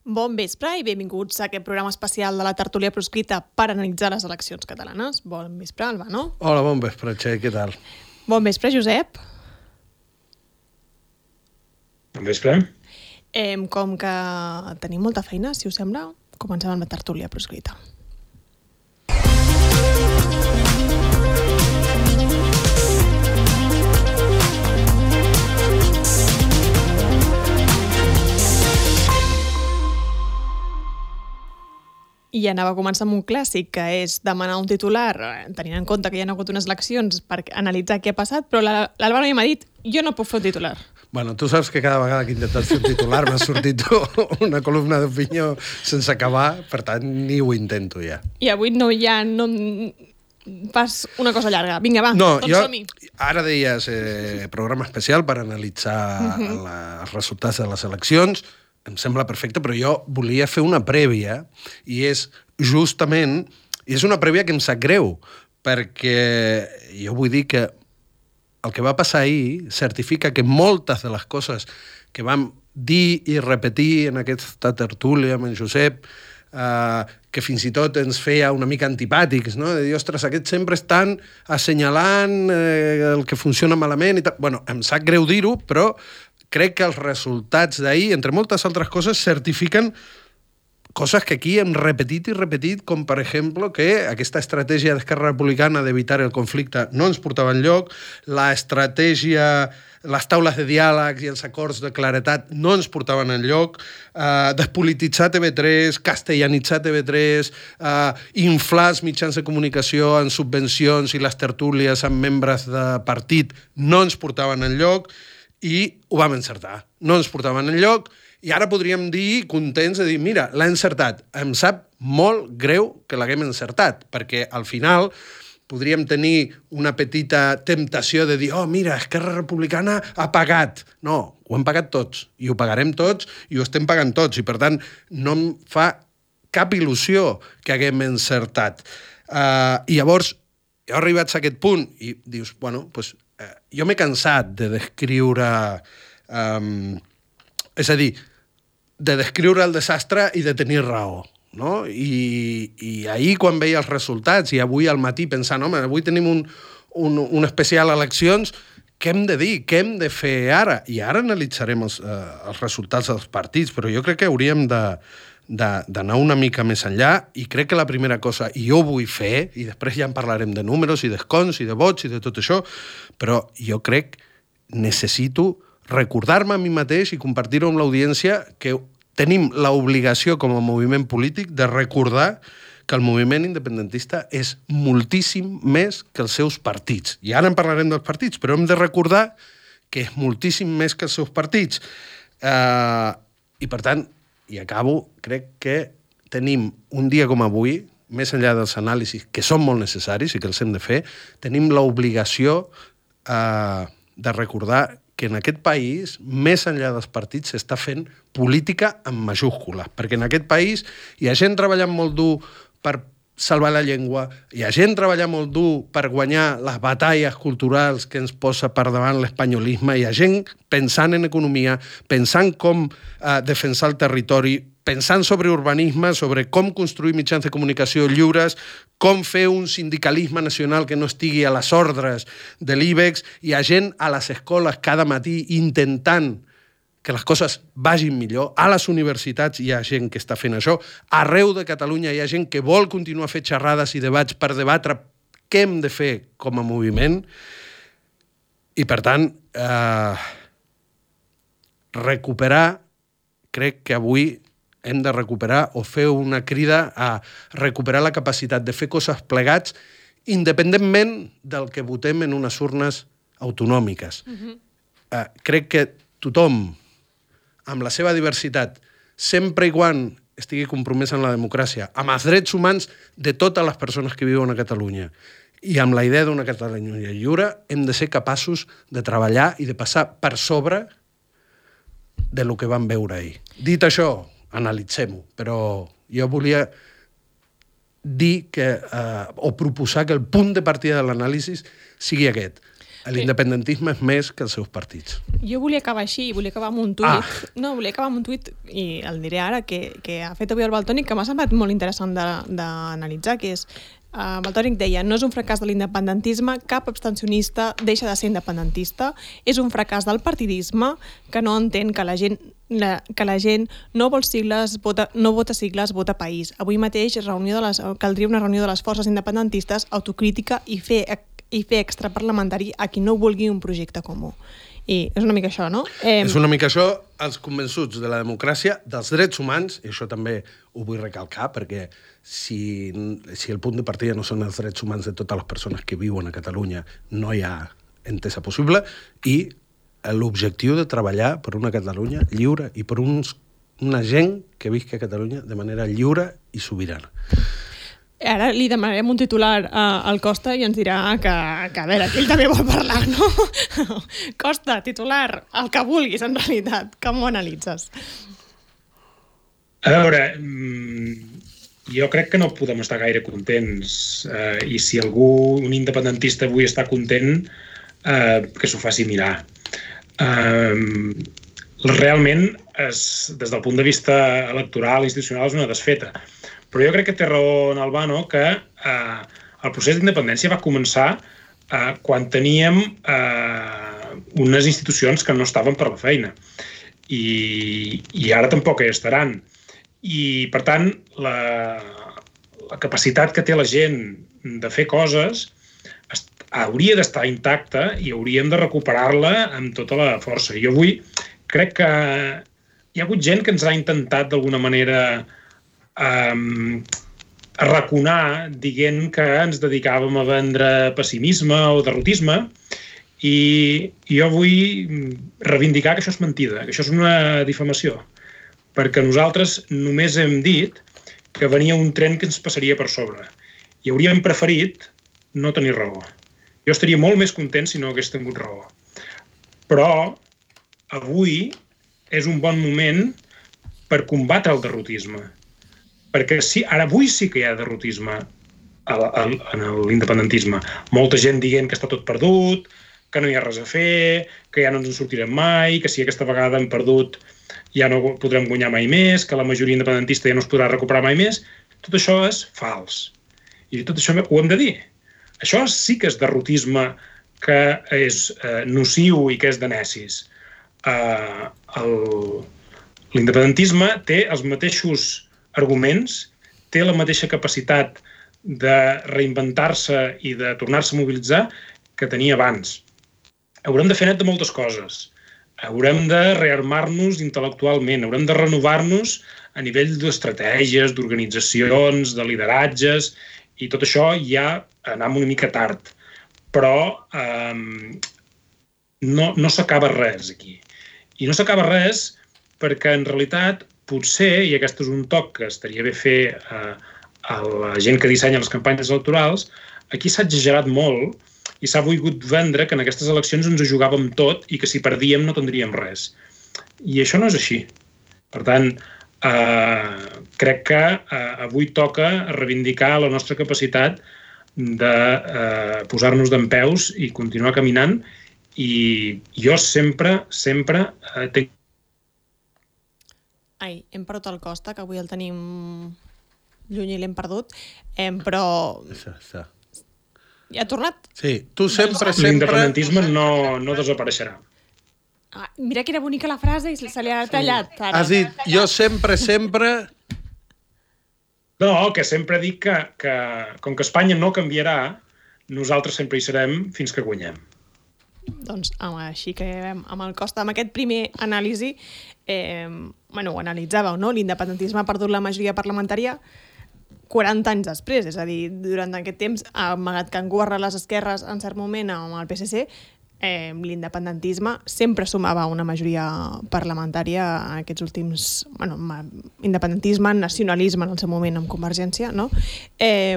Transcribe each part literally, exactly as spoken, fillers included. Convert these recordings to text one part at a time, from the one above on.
Bon vespre i benvinguts a aquest programa especial de la tertúlia proscrita per analitzar les eleccions catalanes. Bon vespre, Albano. Hola, bon vespre, Txell, què tal? Bon vespre, Josep. Bon vespre. Eh, com que tenim molta feina, si us sembla, comencem amb la tertúlia proscrita. I anava a començar amb un clàssic, que és demanar un titular, tenint en compte que hi ha hagut unes eleccions per analitzar què ha passat, però l'Albano ja m'ha dit, jo no puc fer un titular. Bueno, tu saps que cada vegada que he intentat fer un titular m'ha sortit una columna d'opinió sense acabar, per tant, ni ho intento ja. I avui no hi ha... No, fas una cosa llarga. Vinga, va, no, tots jo, som-hi. Ara deies eh, programa especial per analitzar uh-huh. la, els resultats de les eleccions. Em sembla perfecte, però jo volia fer una prèvia, i és justament, i és una prèvia que em sap greu, perquè jo vull dir que el que va passar ahir certifica que moltes de les coses que vam dir i repetir en aquesta tertúlia amb en Josep, eh, que fins i tot ens feia una mica antipàtics, no? De dir, ostres, aquests sempre estan assenyalant eh, el que funciona malament i tal. Bueno, em sap greu dir-ho, però crec que els resultats d'ahir, entre moltes altres coses, certifiquen coses que aquí hem repetit i repetit, com per exemple que aquesta estratègia d'Esquerra Republicana d'evitar el conflicte no ens portava enlloc, la estratègia, les taules de diàleg i els acords de claretat no ens portaven enlloc, eh, despolititzar T V tres, castellanitzar T V tres, eh, inflar els mitjans de comunicació en subvencions i les tertúlies amb membres de partit no ens portaven enlloc, i ho vam encertar. No ens portaven enlloc, i ara podríem dir, contents, de dir, mira, l'ha encertat. Em sap molt greu que l'haguem encertat, perquè al final podríem tenir una petita temptació de dir, oh, mira, Esquerra Republicana ha pagat. No, ho hem pagat tots, i ho pagarem tots, i ho estem pagant tots, i per tant no em fa cap il·lusió que haguem encertat. Uh, I llavors, heu arribat a aquest punt, i dius, bueno, doncs, uh, jo m'he cansat de descriure... Um, és a dir, de descriure el desastre i de tenir raó, no? I, i ahir, quan veia els resultats, i avui al matí pensant, home, avui tenim un, un, un especial eleccions, què hem de dir? Què hem de fer ara? I ara analitzarem els, eh, els resultats dels partits, però jo crec que hauríem de, de, d'anar una mica més enllà, i crec que la primera cosa, i jo vull fer, i després ja en parlarem de números i d'escons i de vots i de tot això, però jo crec, necessito recordar-me a mi mateix i compartir-ho amb l'audiència que tenim l'obligació com a moviment polític de recordar que el moviment independentista és moltíssim més que els seus partits. I ara en parlarem dels partits, però hem de recordar que és moltíssim més que els seus partits. Uh, I per tant, i acabo, crec que tenim un dia com avui, més enllà dels anàlisis que són molt necessaris i que els hem de fer, tenim l'obligació uh, de recordar que en aquest país, més enllà dels partits, s'està fent política amb majúscules, perquè en aquest país hi ha gent treballant molt dur per salvar la llengua, hi ha gent treballant molt dur per guanyar les batalles culturals que ens posa per davant l'espanyolisme, hi ha gent pensant en economia, pensant com eh, defensar el territori, pensant sobre urbanisme, sobre com construir mitjans de comunicació lliures, com fer un sindicalisme nacional que no estigui a les ordres de l'IBEX. Hi ha gent a les escoles cada matí intentant que les coses vagin millor. A les universitats hi ha gent que està fent això. Arreu de Catalunya hi ha gent que vol continuar fent xerrades i debats per debatre què hem de fer com a moviment. I, per tant, eh, recuperar, crec que avui hem de recuperar o fer una crida a recuperar la capacitat de fer coses plegats independentment del que votem en unes urnes autonòmiques. Uh-huh. Uh, crec que tothom, amb la seva diversitat, sempre i quan estigui compromès en la democràcia, amb els drets humans de totes les persones que viuen a Catalunya i amb la idea d'una Catalunya lliure, hem de ser capaços de treballar i de passar per sobre de lo que vam veure ahir. Dit això, analitzem-ho, però jo volia dir que, eh, o proposar que el punt de partida de l'anàlisi sigui aquest. L'independentisme és més que els seus partits. Jo volia acabar així, volia acabar amb un tuit. Ah. No, volia acabar amb un tuit, i el diré ara, que, que ha fet avui el Valtònic, que m'ha semblat molt interessant d'analitzar, que és... Uh, Valtònic deia, no és un fracàs de l'independentisme, cap abstencionista deixa de ser independentista, és un fracàs del partidisme que no entén que la gent, la, que la gent no vol sigles, vota, no vota sigles, vota país. Avui mateix reunió de les, caldria una reunió de les forces independentistes, autocrítica i fer, i fer extraparlamentari a qui no vulgui un projecte comú. I és una mica això, no? Eh... És una mica això, els convençuts de la democràcia, dels drets humans, i això també ho vull recalcar, perquè si, si el punt de partida no són els drets humans de totes les persones que viuen a Catalunya, no hi ha entesa possible, i l'objectiu de treballar per una Catalunya lliure i per uns, una gent que visca a Catalunya de manera lliure i sobirana. Ara li demanarem un titular al Costa i ens dirà que, que a veure, que ell també vol parlar, no? Costa, titular, el que vulguis, en realitat. Com ho analitzes? A veure, jo crec que no podem estar gaire contents, eh, i si algú, un independentista, avui està content, eh, que s'ho faci mirar. Eh, realment, és, des del punt de vista electoral i institucional, és una desfeta. Però jo crec que té raó en Albano que eh, el procés d'independència va començar eh, quan teníem eh, unes institucions que no estaven per la feina. I, i ara tampoc hi estaran. I, per tant, la, la capacitat que té la gent de fer coses hauria d'estar intacta i hauríem de recuperar-la amb tota la força. Jo avui crec que hi ha hagut gent que ens ha intentat d'alguna manera Um, arraconar dient que ens dedicàvem a vendre pessimisme o derrotisme, i jo vull reivindicar que això és mentida, que això és una difamació, perquè nosaltres només hem dit que venia un tren que ens passaria per sobre i hauríem preferit no tenir raó. Jo estaria molt més content si no hagués tingut raó. Però avui és un bon moment per combatre el derrotisme. Perquè sí, ara avui sí que hi ha derrotisme en l'independentisme. Molta gent dient que està tot perdut, que no hi ha res a fer, que ja no ens en sortirem mai, que si aquesta vegada hem perdut ja no podrem guanyar mai més, que la majoria independentista ja no es podrà recuperar mai més. Tot això és fals. I tot això ho hem de dir. Això sí que és derrotisme, que és eh, nociu i que és de necis. Eh, L'independentisme té els mateixos arguments, té la mateixa capacitat de reinventar-se i de tornar-se a mobilitzar que tenia abans. Haurem de fer net de moltes coses. Haurem de rearmar-nos intel·lectualment, haurem de renovar-nos a nivell d'estratègies, d'organitzacions, de lideratges, i tot això ja anem una mica tard. Però eh, no, no s'acaba res aquí. I no s'acaba res perquè en realitat potser, i aquest és un toc que estaria bé fer eh, a la gent que dissenya les campanyes electorals, aquí s'ha exagerat molt i s'ha volgut vendre que en aquestes eleccions ens ho jugàvem tot i que si perdíem no tindríem res. I això no és així. Per tant, eh, crec que eh, avui toca reivindicar la nostra capacitat de eh, posar-nos dempeus i continuar caminant, i jo sempre, sempre eh, tinc Ai, hem perdut el Costa, que avui el tenim lluny i l'hem perdut, eh, però... Això, això. Ja ha tornat? Sí, tu sempre, sempre... L'independentisme no, no desapareixerà. Ah, mira que era bonica la frase i se li ha tallat. Sí. Has dit, jo sempre, sempre... No, que sempre dic que, que com que Espanya no canviarà, nosaltres sempre hi serem fins que guanyem. Doncs així que amb el Costa, amb aquest primer anàlisi, eh, bueno, ho analitzàveu, no? L'independentisme ha perdut la majoria parlamentària quaranta anys després, és a dir, durant aquest temps, amagat que han governat les esquerres en cert moment amb el P S C, eh, l'independentisme sempre sumava una majoria parlamentària en aquests últims... Bueno, independentisme, nacionalisme en el seu moment amb Convergència, no? Eh,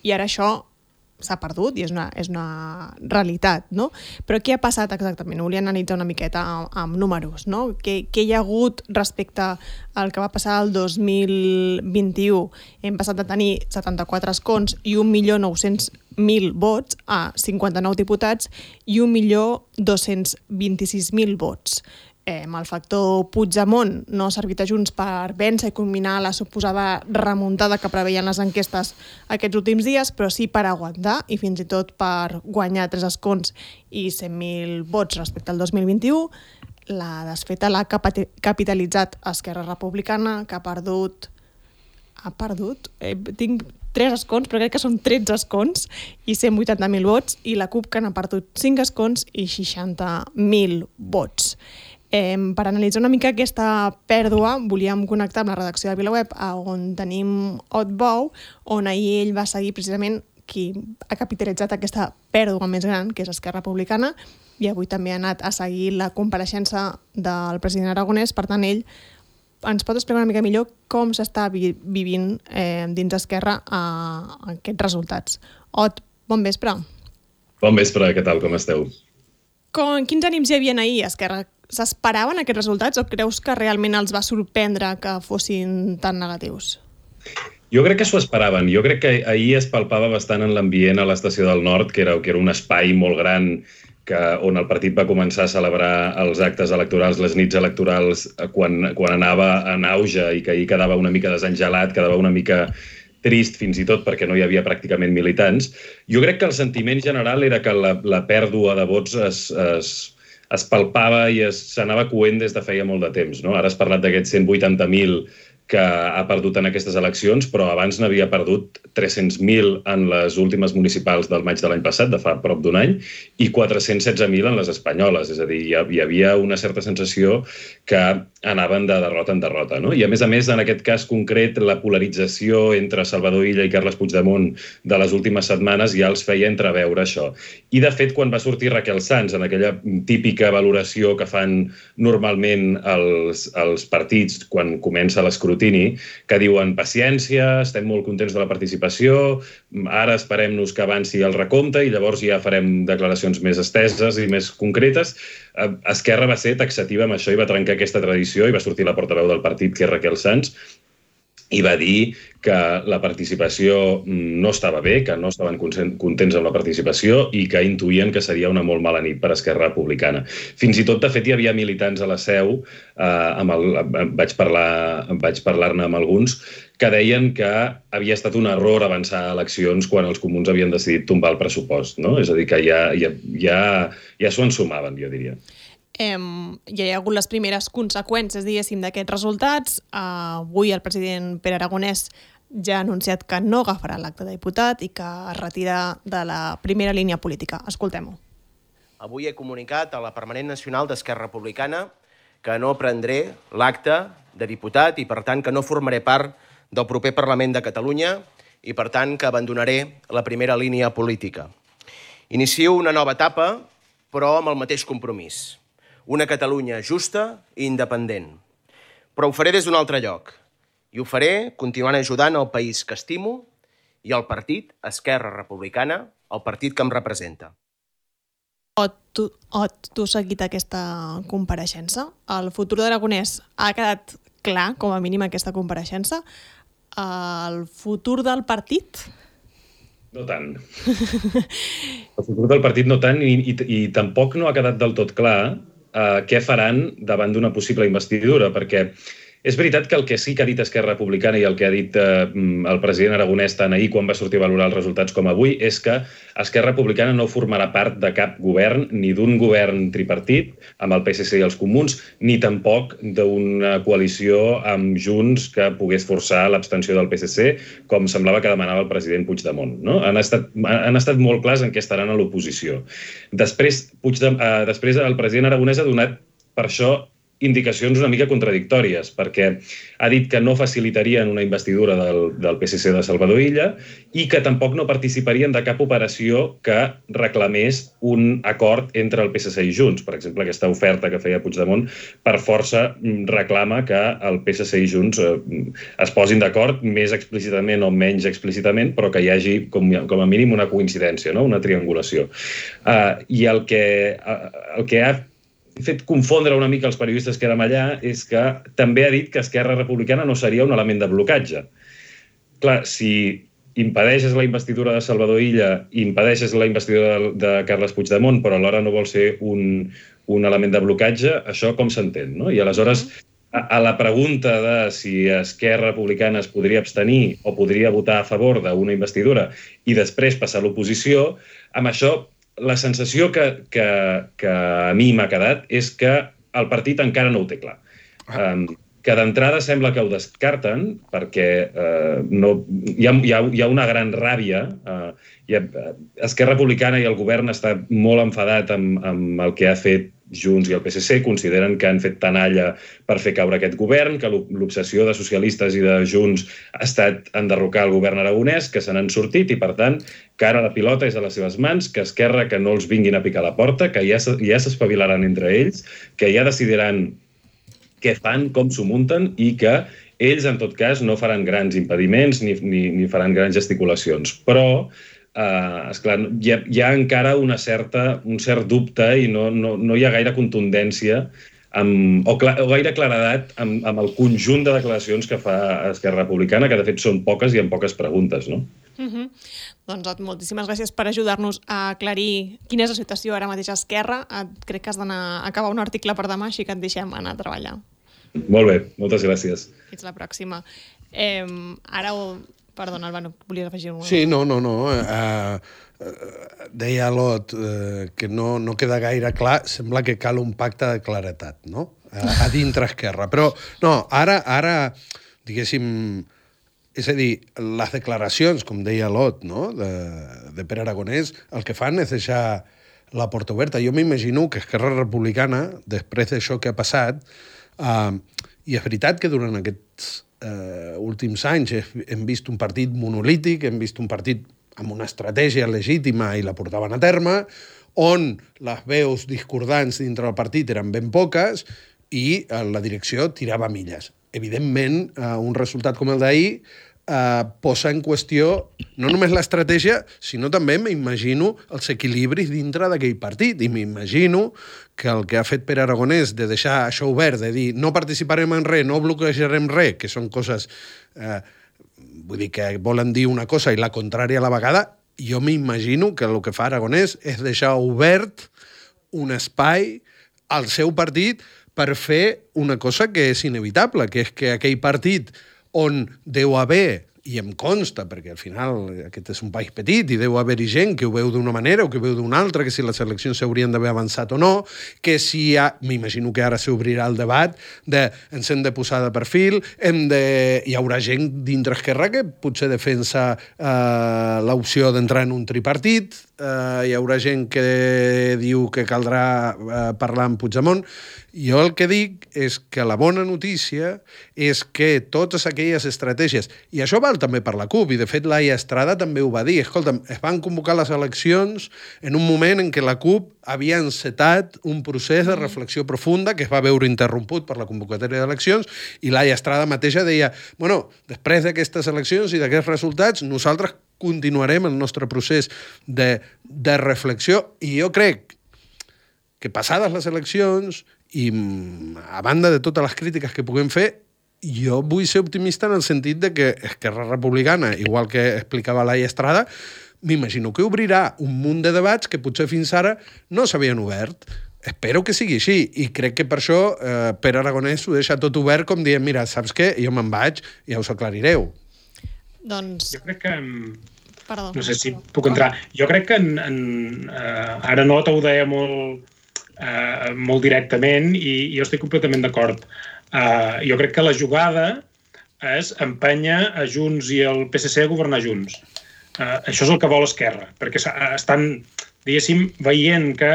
I ara això s'ha perdut i és una, és una realitat, no? Però què ha passat exactament? Ho volia analitzar una miqueta amb, amb números, no? Què, què hi ha hagut respecte al que va passar el dos mil vint-i-u? Hem passat de tenir setanta-quatre escons i un milió nou-cents mil vots a cinquanta-nou diputats i un milió dos-cents vint-i-sis mil vots. Eh, el factor Puigdemont no ha servit a Junts per vèncer i combinar la suposada remuntada que preveien les enquestes aquests últims dies, però sí per aguantar i fins i tot per guanyar tres escons i cent mil vots respecte al dos mil vint-i-u. La desfeta l'ha capitalitzat Esquerra Republicana, que ha perdut... Ha perdut? Eh, tinc tres escons, però crec que són tretze escons i cent vuitanta mil vots, i la CUP, que n'ha perdut cinc escons i seixanta mil vots. Eh, per analitzar una mica aquesta pèrdua, volíem connectar amb la redacció de VilaWeb, on tenim Ot Bou, on ahir ell va seguir precisament qui ha capitalitzat aquesta pèrdua més gran, que és Esquerra Republicana, i avui també ha anat a seguir la compareixença del president Aragonès. Per tant, ell ens pot explicar una mica millor com s'està vi vivint eh, dins d'Esquerra eh, aquests resultats. Ot, bon vespre. Bon vespre, què tal, com esteu? Com, quins ànims hi havia ahir, Esquerra? S'esperaven aquests resultats o creus que realment els va sorprendre que fossin tan negatius? Jo crec que s'ho esperaven. Jo crec que ahir es palpava bastant en l'ambient a l'Estació del Nord, que era, que era un espai molt gran que, on el partit va començar a celebrar els actes electorals, les nits electorals, quan, quan anava en auge i que ahir quedava una mica desengelat, quedava una mica trist fins i tot perquè no hi havia pràcticament militants. Jo crec que el sentiment general era que la, la pèrdua de vots es, es, es palpava i s'anava coent des de feia molt de temps, no? Ara has parlat d'aquests cent vuitanta mil que ha perdut en aquestes eleccions, però abans n'havia perdut tres-cents mil en les últimes municipals del maig de l'any passat, de fa prop d'un any, i quatre-cents setze mil en les espanyoles. És a dir, hi havia una certa sensació que anaven de derrota en derrota, no? I a més a més, en aquest cas concret, la polarització entre Salvador Illa i Carles Puigdemont de les últimes setmanes ja els feia entreveure això. I, de fet, quan va sortir Raquel Sans, en aquella típica valoració que fan normalment els, els partits quan comença l'escrutini, que diuen paciència, estem molt contents de la participació, ara esperem-nos que avanci el recompte i llavors ja farem declaracions més esteses i més concretes. Esquerra va ser taxativa amb això i va trencar aquesta tradició i va sortir la portaveu del partit, que és Raquel Sans, i va dir que la participació no estava bé, que no estaven contents amb la participació i que intuïen que seria una molt mala nit per Esquerra Republicana. Fins i tot, de fet, hi havia militants a la Seu, eh, amb el, vaig parlar, vaig parlar-ne amb alguns, que deien que havia estat un error avançar a eleccions quan els comuns havien decidit tombar el pressupost, no? És a dir, que ja, ja, ja, ja s'ho ensumaven, jo diria. Eh, ja hi ha hagut les primeres conseqüències, diguéssim, d'aquests resultats. Uh, avui el president Pere Aragonès ja ha anunciat que no agafarà l'acte de diputat i que es retira de la primera línia política. Escoltem-ho. Avui he comunicat a la Permanent Nacional d'Esquerra Republicana que no prendré l'acte de diputat i, per tant, que no formaré part del proper Parlament de Catalunya i, per tant, que abandonaré la primera línia política. Inicio una nova etapa, però amb el mateix compromís. Una Catalunya justa i independent. Però ho faré des d'un altre lloc. I ho faré continuant ajudant el país que estimo i el partit Esquerra Republicana, el partit que em representa. Ot, tu, Ot, tu has seguit aquesta compareixença. El futur d'Aragonès ha quedat clar, com a mínim, aquesta compareixença. El futur del partit? No tant. El futur del partit no tant i, i, i tampoc no ha quedat del tot clar Uh, què faran davant d'una possible investidura, perquè és veritat que el que sí que ha dit Esquerra Republicana i el que ha dit uh, el president Aragonès tant ahir quan va sortir a valorar els resultats com avui és que Esquerra Republicana no formarà part de cap govern, ni d'un govern tripartit amb el P S C i els comuns, ni tampoc d'una coalició amb Junts que pogués forçar l'abstenció del P S C, com semblava que demanava el president Puigdemont, no? Han estat, han estat molt clars en què estaran a l'oposició. Després, Puigdemont, uh, després el president Aragonès ha donat per això indicacions una mica contradictòries, perquè ha dit que no facilitarien una investidura del, del P S C de Salvador Illa i que tampoc no participarien de cap operació que reclamés un acord entre el P S C i Junts. Per exemple, aquesta oferta que feia Puigdemont per força reclama que el P S C i Junts es posin d'acord més explícitament o menys explícitament, però que hi hagi com, com a mínim una coincidència, no? Una triangulació. Uh, I el que, uh, el que ha fet confondre una mica els periodistes que érem allà és que també ha dit que Esquerra Republicana no seria un element de blocatge. Clar, si impedeixes la investidura de Salvador Illa, impedeixes la investidura de, de Carles Puigdemont, però alhora no vol ser un, un element de blocatge, això com s'entén, no? I aleshores, a, a la pregunta de si Esquerra Republicana es podria abstenir o podria votar a favor d'una investidura i després passar a l'oposició, amb això la sensació que, que, que a mi m'ha quedat és que el partit encara no ho té clar. Um, que d'entrada sembla que ho descarten perquè uh, no, hi, ha, hi, ha, hi ha una gran ràbia. Uh, hi ha, Esquerra Republicana i el govern està molt enfadat amb, amb el que ha fet Junts i el P S C, consideren que han fet tanalla per fer caure aquest govern, que l'obsessió de socialistes i de Junts ha estat enderrocar el govern aragonès, que se n'han sortit i, per tant, que ara la pilota és a les seves mans, que Esquerra que no els vinguin a picar la porta, que ja, ja s'espavilaran entre ells, que ja decidiran què fan, com s'ho munten i que ells, en tot cas, no faran grans impediments ni, ni, ni faran grans gesticulacions. Però Uh, esclar, hi ha, hi ha encara una certa, un cert dubte i no, no, no hi ha gaire contundència amb, o, cla, o gaire claredat amb, amb el conjunt de declaracions que fa Esquerra Republicana, que de fet són poques i amb poques preguntes, no? Uh-huh. Doncs moltíssimes gràcies per ajudar-nos a aclarir quina és la situació ara mateix a Esquerra. Crec que has d'anar a acabar un article per demà, així que et deixem anar a treballar. Molt bé, moltes gràcies. Fins la pròxima. Eh, ara ho... Perdona, Albano, volies afegir alguna cosa? Sí, no, no, no. Uh, uh, deia Lot uh, que no, no queda gaire clar. Sembla que cal un pacte de claretat, no? Uh, a dintre Esquerra. Però, no, ara, ara diguéssim... És a dir, les declaracions, com deia Lot, no? de, de Pere Aragonès, el que fan és deixar la porta oberta. Jo m'imagino que Esquerra Republicana, després d'això que ha passat, uh, i és veritat que durant aquests Uh, últims anys hem vist un partit monolític, hem vist un partit amb una estratègia legítima i la portaven a terme, on les veus discordants dintre del partit eren ben poques i uh, la direcció tirava milles. Evidentment, uh, un resultat com el d'ahir uh, posa en qüestió no només l'estratègia, sinó també, m'imagino, els equilibris dintre d'aquell partit. I m'imagino que el que ha fet Pere Aragonès de deixar això obert, de dir no participarem en res, no bloquejarem res, que són coses, eh, vull dir, que volen dir una cosa i la contrària a la vegada, jo m'imagino que el que fa Aragonès és deixar obert un espai al seu partit per fer una cosa que és inevitable, que és que aquell partit on deu haver, i em consta, perquè al final aquest és un país petit i deu haver-hi gent que ho veu d'una manera o que ho veu d'una altra, que si les eleccions s'haurien d'haver avançat o no, que si hi ha... M'imagino que ara s'obrirà el debat de ens hem de posar de perfil, hem de... hi haurà gent dintre Esquerra que potser defensa eh, l'opció d'entrar en un tripartit, eh, hi haurà gent que diu que caldrà eh, parlar amb Puigdemont. Jo el que dic és que la bona notícia és que totes aquelles estratègies, i això val també per la CUP, i de fet Laia Estrada també ho va dir, escolta'm, es van convocar les eleccions en un moment en què la CUP havia encetat un procés de reflexió profunda que es va veure interromput per la convocatòria d'eleccions, i Laia Estrada mateixa deia, bueno, després d'aquestes eleccions i d'aquests resultats, nosaltres continuarem el nostre procés de, de reflexió, i jo crec que passades les eleccions i a banda de totes les crítiques que puguem fer, jo vull ser optimista en el sentit de que Esquerra Republicana, igual que explicava Laia Estrada, m'imagino que obrirà un munt de debats que potser fins ara no s'havien obert. Espero que sigui així, i crec que per això eh, Pere Aragonès ho deixa tot obert com dient, mira, saps què? Jo me'n vaig, ja us aclarireu. Doncs... Jo crec que... Perdó. No sé si puc entrar. Jo crec que en, en, uh, ara Nota ho deia molt, uh, molt directament i jo estic completament d'acord. Uh, jo crec que la jugada és empènyer a Junts i el P S C a governar junts. Uh, això és el que vol Esquerra, perquè estan, diguéssim, veient que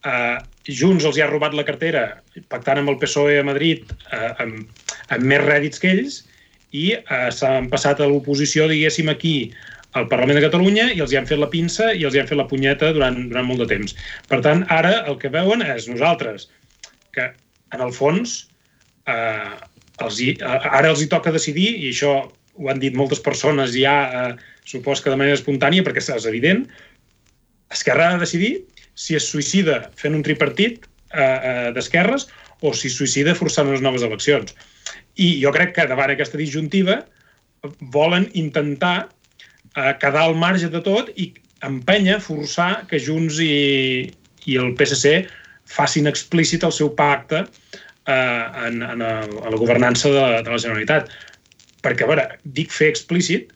Uh, Junts els hi ha robat la cartera pactant amb el P S O E a Madrid uh, amb, amb més rèdits que ells i uh, s'han passat a l'oposició, diguéssim, aquí al Parlament de Catalunya i els hi han fet la pinça i els hi han fet la punyeta durant, durant molt de temps. Per tant, ara el que veuen és nosaltres, que en el fons uh, els hi, uh, ara els hi toca decidir, i això ho han dit moltes persones ja, uh, supos que de manera espontània, perquè és evident, Esquerra ha de decidir si es suïcida fent un tripartit eh, eh, d'esquerres o si es suïcida forçant unes noves eleccions. I jo crec que davant aquesta disjuntiva volen intentar eh, quedar al marge de tot i empènyer, forçar que Junts i, i el P S C facin explícit el seu pacte eh, en, en el, a la governança de, de la Generalitat. Perquè, a veure, dic fer explícit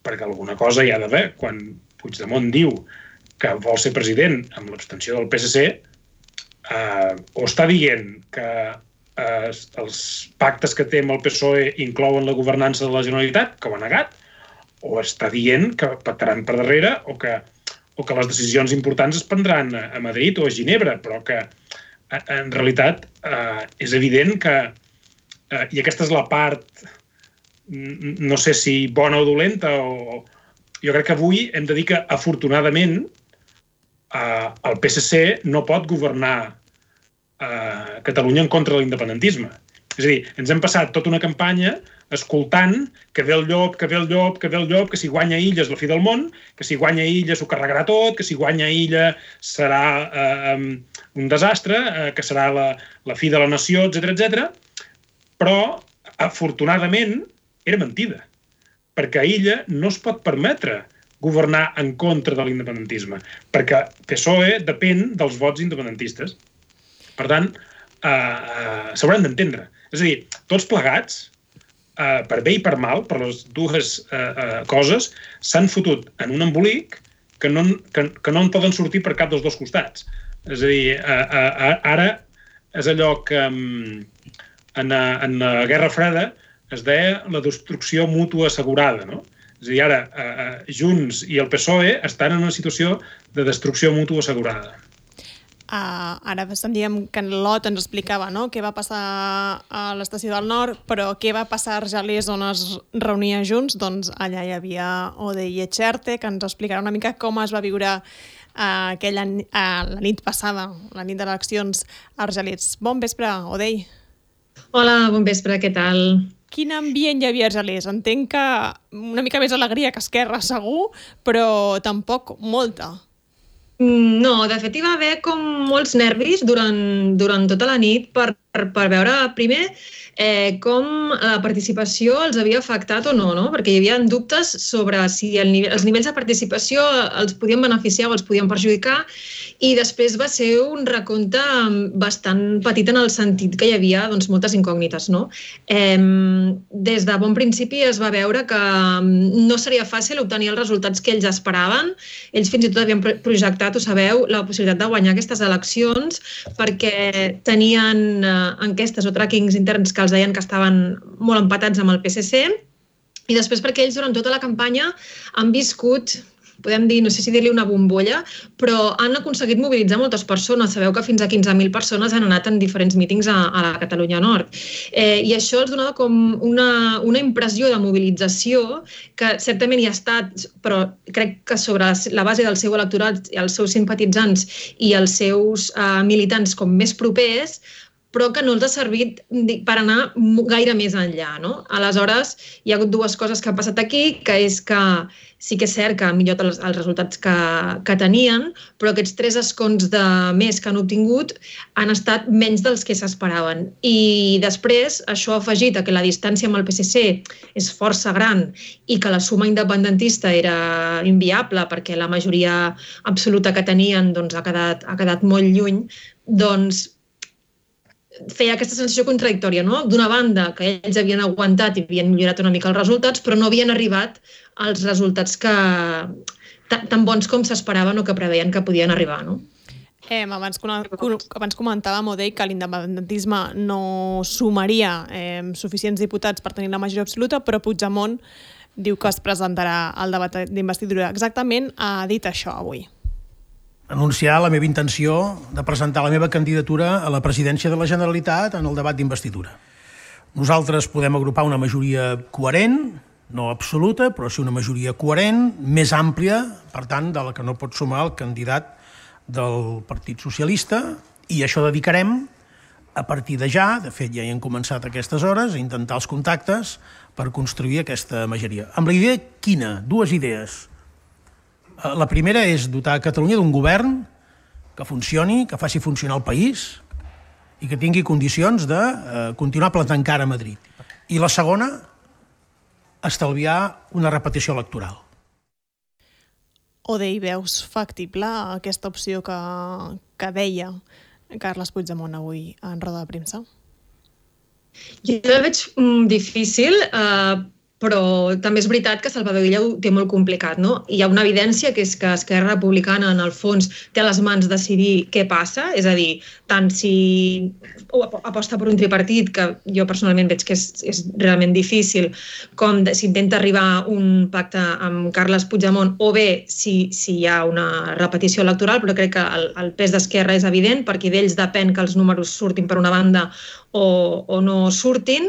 perquè alguna cosa hi ha d'haver. Quan Puigdemont diu que vol ser president amb l'abstenció del P S C, eh, o està dient que eh, els pactes que té amb el P S O E inclouen la governança de la Generalitat, que ho ha negat, o està dient que pactaran per darrere o que, o que les decisions importants es prendran a Madrid o a Ginebra, però que en realitat eh, és evident que, eh, i aquesta és la part, no sé si bona o dolenta, o jo crec que avui hem de dir que, afortunadament, Uh, el P S C no pot governar uh, Catalunya en contra de l'independentisme. És a dir, ens hem passat tota una campanya escoltant que ve el llop, que ve el llop, que ve el llop, que si guanya Illa és la fi del món, que si guanya Illa s'ho carregarà tot, que si guanya Illa serà uh, um, un desastre, uh, que serà la, la fi de la nació, etcètera, etcètera. Però, afortunadament, era mentida. Perquè a Illa no es pot permetre governar en contra de l'independentisme, perquè P S O E depèn dels vots independentistes. Per tant, eh, eh, s'hauran d'entendre. És a dir, tots plegats, eh, per bé i per mal, per les dues eh, eh, coses, s'han fotut en un embolic que no, que, que no en poden sortir per cap dels dos costats. És a dir, eh, eh, ara és allò que en, en la Guerra Freda es deia la destrucció mútua assegurada, no? És a dir, ara, eh, Junts i el P S O E estan en una situació de destrucció mútua assegurada. Uh, ara sentíem que en Lot ens explicava, no?, què va passar a l'Estació del Nord, però què va passar a Argelers on es reunia Junts? Doncs allà hi havia Odey Echerte, que ens explicarà una mica com es va viure uh, aquella, uh, la nit passada, la nit d'eleccions a Argelers. Bon vespre, Odey. Hola, bon vespre, què tal? Quin ambient hi havia a Argelers? Entenc que una mica més alegria que Esquerra, segur, però tampoc molta. No, de fet hi va haver com molts nervis durant, durant tota la nit per, per veure, primer, eh, com la participació els havia afectat o no, no? Perquè hi havia dubtes sobre si el nivell, els nivells de participació els podien beneficiar o els podien perjudicar, i després va ser un recompte bastant petit en el sentit que hi havia doncs, moltes incògnites, no? Eh, des de bon principi es va veure que no seria fàcil obtenir els resultats que ells esperaven. Ells fins i tot havien projectat, ho sabeu, la possibilitat de guanyar aquestes eleccions perquè tenien eh, enquestes o trackings interns que els deien que estaven molt empatats amb el P S C, i després perquè ells durant tota la campanya han viscut, podem dir, no sé si dir-li una bombolla, però han aconseguit mobilitzar moltes persones. Sabeu que fins a quinze mil persones han anat en diferents mítings a, a la Catalunya Nord. Eh, I això els donava com una, una impressió de mobilització que certament hi ha estat, però crec que sobre la base del seu electorat, els seus simpatitzants i els seus eh, militants com més propers, però que no els ha servit per anar gaire més enllà, no? Aleshores, hi ha hagut dues coses que han passat aquí, que és que sí que és cert que han millorat els, els resultats que, que tenien, però aquests tres escons de més que han obtingut han estat menys dels que s'esperaven. I després, això ha afegit a que la distància amb el P S C és força gran i que la suma independentista era inviable perquè la majoria absoluta que tenien doncs, ha quedat, ha quedat molt lluny, doncs feia aquesta sensació contradictòria, no? D'una banda, que ells havien aguantat i havien millorat una mica els resultats, però no havien arribat als resultats que tan bons com s'esperaven o que preveien que podien arribar, no? Eh, abans, abans comentàvem, Odey, que l'independentisme no sumaria eh, suficients diputats per tenir la majoria absoluta, però Puigdemont diu que es presentarà al debat d'investidura. Exactament ha dit això avui. anunciar la meva intenció de presentar la meva candidatura a la presidència de la Generalitat en el debat d'investidura. Nosaltres podem agrupar una majoria coherent, no absoluta, però sí una majoria coherent, més àmplia, per tant, de la que no pot sumar el candidat del Partit Socialista, i això dedicarem a partir de ja, de fet ja hi hem començat aquestes hores, a intentar els contactes per construir aquesta majoria. Amb la idea quina? Dues idees. La primera és dotar Catalunya d'un govern que funcioni, que faci funcionar el país i que tingui condicions de eh, continuar plantant cara a Madrid. I la segona, estalviar una repetició electoral. Odei, veus factible aquesta opció que, que deia Carles Puigdemont avui en roda de premsa? Jo la veig mm, difícil, eh, però també és veritat que Salvador Illa ho té molt complicat, no? Hi ha una evidència que és que Esquerra Republicana, en el fons, té a les mans decidir què passa, és a dir, tant si aposta per un tripartit, que jo personalment veig que és, és realment difícil, com de, si intenta arribar a un pacte amb Carles Puigdemont, o bé si, si hi ha una repetició electoral, però crec que el, el pes d'Esquerra és evident, perquè d'ells depèn que els números surtin per una banda o, o no surtin,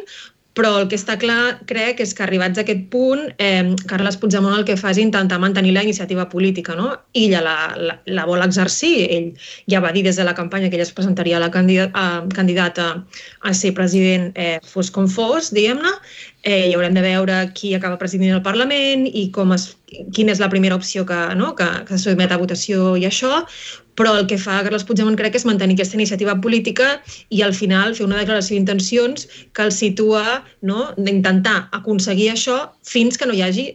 però el que està clar, crec, és que arribats a aquest punt, eh, Carles Puigdemont el que fa és intentar mantenir la iniciativa política, no? Ella la, la, la vol exercir, ell ja va dir des de la campanya que ella es presentaria a la candidat, a, candidata a ser president eh, fos com fos, diguem-ne, eh, i haurem de veure qui acaba presidint el Parlament i com es, quina és la primera opció que, no? que, que se sotmet a votació i això, però el que fa Carles Puigdemont crec que és mantenir aquesta iniciativa política i al final fer una declaració d'intencions que el situa, no? d'intentar aconseguir això fins que no hi hagi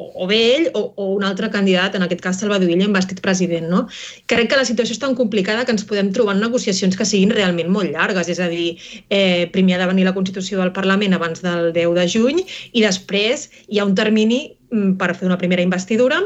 o bé ell o, o un altre candidat, en aquest cas Salvador Illa, investit president. No? Crec que la situació és tan complicada que ens podem trobar en negociacions que siguin realment molt llargues, és a dir, eh, primer ha de venir la Constitució del Parlament abans del deu de juny i després hi ha un termini per fer una primera investidura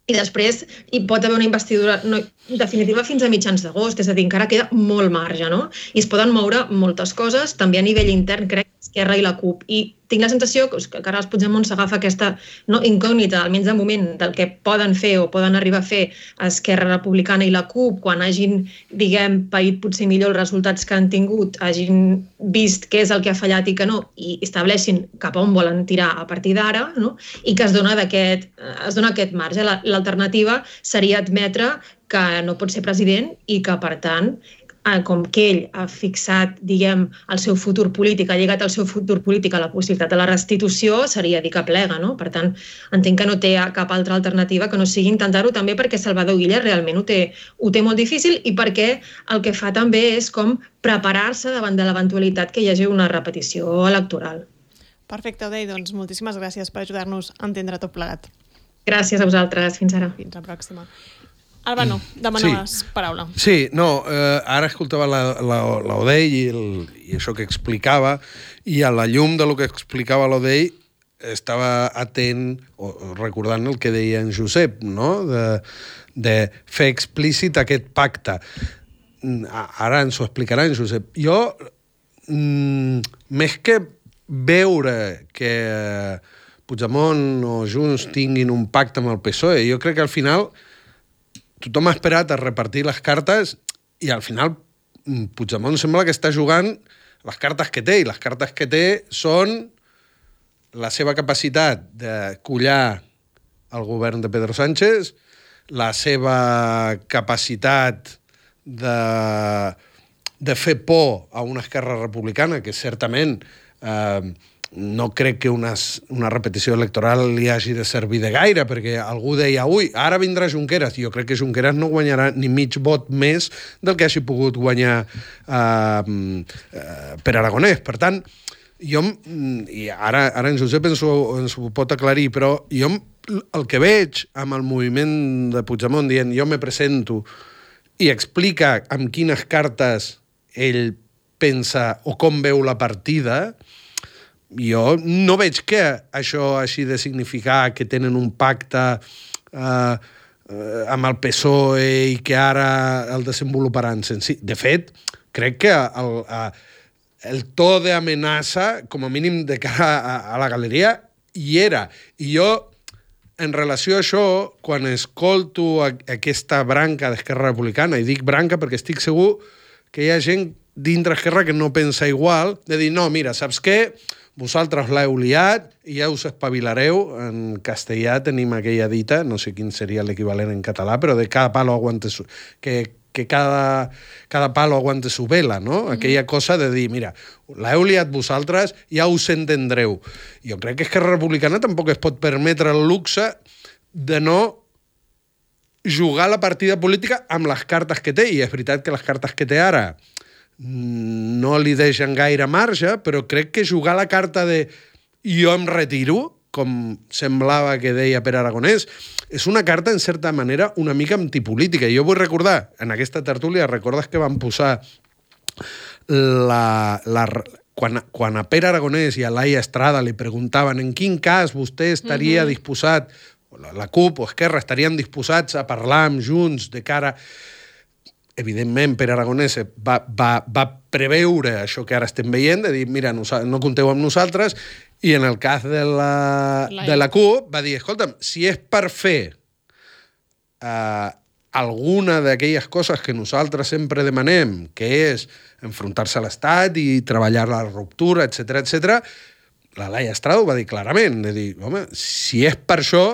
i després hi pot haver una investidura no, definitiva fins a mitjans d'agost, és a dir, encara queda molt marge, no? I es poden moure moltes coses, també a nivell intern, crec, Esquerra i la CUP. I tinc la sensació que Carles Puigdemont s'agafa aquesta no, incògnita, almenys de moment, del que poden fer o poden arribar a fer Esquerra Republicana i la CUP quan hagin, diguem, paït potser millor els resultats que han tingut, hagin vist què és el que ha fallat i que no, i estableixin cap a on volen tirar a partir d'ara, no? I que es dona, aquest, es dona aquest marge. L'alternativa seria admetre que no pot ser president i que, per tant, com que ell ha fixat, diguem, el seu futur polític, ha lligat el seu futur polític a la possibilitat de la restitució, seria dir que plega, no? Per tant, entenc que no té cap altra alternativa que no sigui intentar-ho també perquè Salvador Illa realment ho té, ho té molt difícil i perquè el que fa també és com preparar-se davant de l'eventualitat que hi hagi una repetició electoral. Perfecte, Odei, doncs moltíssimes gràcies per ajudar-nos a entendre tot plegat. Gràcies a vosaltres, fins ara. Fins la pròxima. Albano, demanaves sí. paraula. Sí, no, eh, ara escoltava l'Odei i, el, i això que explicava, i a la llum de lo que explicava l'Odei estava atent, o, recordant el que deia en Josep, no? de, de fer explícit aquest pacte. Ara ens ho explicarà en Josep. Jo, mm, més que veure que Puigdemont o Junts tinguin un pacte amb el P S O E, jo crec que al final tothom ha esperat a repartir les cartes i al final Puigdemont sembla que està jugant les cartes que té, i les cartes que té són la seva capacitat de collar el govern de Pedro Sánchez, la seva capacitat de, de fer por a una Esquerra Republicana que certament eh, no crec que una, una repetició electoral li hagi de servir de gaire, perquè algú deia, ui, ara vindrà Junqueras. Jo crec que Junqueras no guanyarà ni mig vot més del que hagi pogut guanyar eh, eh, per Aragonès. Per tant, jo, i ara, ara en Josep ens ho, ens ho pot aclarir, però jo el que veig amb el moviment de Puigdemont dient jo me presento i explica amb quines cartes ell pensa o com veu la partida, jo no veig que això hagi de significar que tenen un pacte eh, eh, amb el P S O E i que ara el desenvoluparan sense... De fet, crec que el, el to d'amenaça, com a mínim de cara a, a la galeria, hi era. I jo en relació a això, quan escolto aquesta branca d'Esquerra Republicana, i dic branca perquè estic segur que hi ha gent dintre Esquerra que no pensa igual, de dir, no, mira, saps què? Vosaltres l'heu liat i ja us espavilareu. En castellà tenim aquella dita, no sé quin seria l'equivalent en català, però de cada palo aguante su... que, que cada, cada palo aguante su vela, no? Mm-hmm. Aquella cosa de dir, mira, l'heu liat vosaltres, ja us entendreu. Jo crec que Esquerra Republicana tampoc es pot permetre el luxe de no jugar la partida política amb les cartes que té, i és veritat que les cartes que té ara no li deixen gaire marge, però crec que jugar la carta de jo em retiro, com semblava que deia Pere Aragonès, és una carta, en certa manera, una mica antipolítica. Jo vull recordar, en aquesta tertúlia, recordes que van posar la... la quan, quan a Pere Aragonès i a Laia Estrada li preguntaven en quin cas vostè estaria mm-hmm. disposat, la, la CUP o Esquerra estarien disposats a parlar amb Junts de cara... Evidentment, Pere Aragonès va, va, va preveure això que ara estem veient, de dir, mira, no, no compteu amb nosaltres, i en el cas de la, de la CUP va dir, escolta'm, si és per fer eh, alguna d'aquelles coses que nosaltres sempre demanem, que és enfrontar-se a l'Estat i treballar la ruptura, etcètera, etcètera, la Laia Estrada ho va dir clarament, de dir, home, si és per això,